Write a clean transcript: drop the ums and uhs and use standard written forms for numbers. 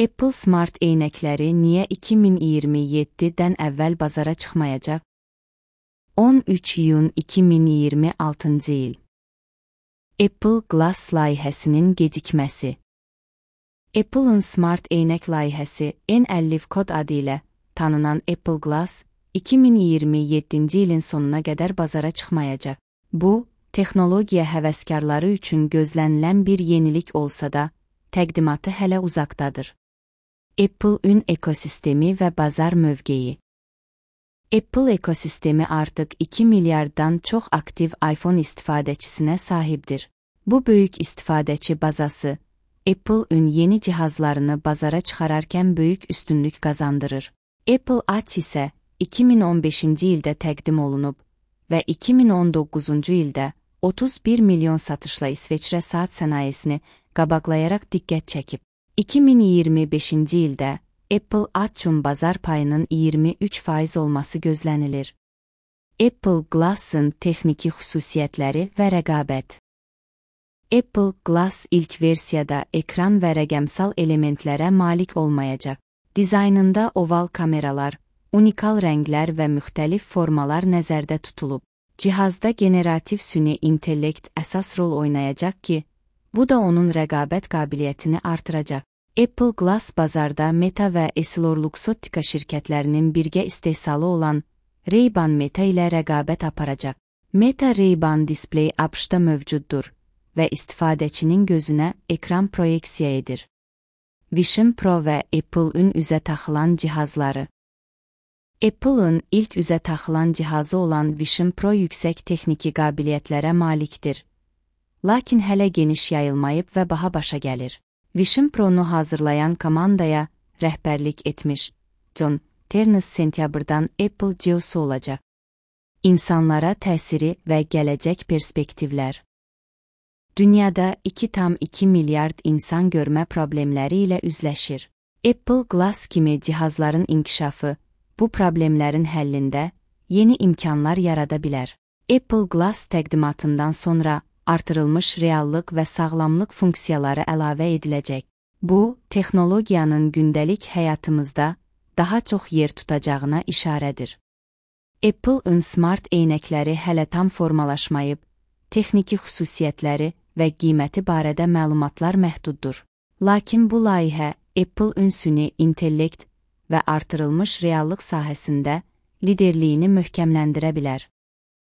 Apple Smart eynəkləri niyə 2027-dən əvvəl bazara çıxmayacaq? 13 iyun 2026-cı il. Apple Glass layihəsinin gecikməsi. Apple'ın Smart eynək layihəsi N50 kod adı ilə tanınan Apple Glass 2027-ci ilin sonuna qədər bazara çıxmayacaq. Bu, texnologiya həvəskarları üçün gözlənilən bir yenilik olsa da, təqdimatı hələ uzaqdadır. Apple ün ekosistemi və bazar mövqeyi. Apple ekosistemi artıq 2 milyarddan çox aktiv iPhone istifadəçisinə sahibdir. Bu böyük istifadəçi bazası, Apple ün yeni cihazlarını bazara çıxararkən böyük üstünlük qazandırır. Apple Watch isə 2015-ci ildə təqdim olunub və 2019-cu ildə 31 milyon satışla İsveçrə saat sənayesini qabaqlayaraq diqqət çəkib. 2025-ci ildə Apple Watch'un bazar payının 23% olması gözlənilir. Apple Glass'ın texniki xüsusiyyətləri və rəqabət. Apple Glass ilk versiyada ekran və rəqəmsal elementlərə malik olmayacaq. Dizaynında oval kameralar, unikal rənglər və müxtəlif formalar nəzərdə tutulub. Cihazda generativ süni intellekt əsas rol oynayacaq ki, bu da onun rəqabət qabiliyyətini artıracaq. Apple Glass bazarda Meta və EssilorLuxottica şirkətlərinin birgə istehsalı olan Ray-Ban Meta ilə rəqabət aparacaq. Meta Ray-Ban displey ABŞ-da mövcuddur və istifadəçinin gözünə ekran proyeksiya edir. Vision Pro və Apple-ün üzə taxılan cihazları. Apple-ın ilk üzə taxılan cihazı olan Vision Pro yüksək texniki qabiliyyətlərə malikdir. Lakin hələ geniş yayılmayıb və baha başa gəlir. Vision Pro-nu hazırlayan komandaya rəhbərlik etmiş John Ternus sentyabrdan Apple CEO-su olacaq. İnsanlara təsiri və gələcək perspektivlər. Dünyada 2,2 milyard insan görmə problemləri ilə üzləşir. Apple Glass kimi cihazların inkişafı bu problemlərin həllində yeni imkanlar yarada bilər. Apple Glass təqdimatından sonra artırılmış reallıq və sağlamlıq funksiyaları əlavə ediləcək. Bu, texnologiyanın gündəlik həyatımızda daha çox yer tutacağına işarədir. Apple-ın Smart eynəkləri hələ tam formalaşmayıb, texniki xüsusiyyətləri və qiyməti barədə məlumatlar məhduddur. Lakin bu layihə Apple-ın süni intellekt və artırılmış reallıq sahəsində liderliyini möhkəmləndirə bilər.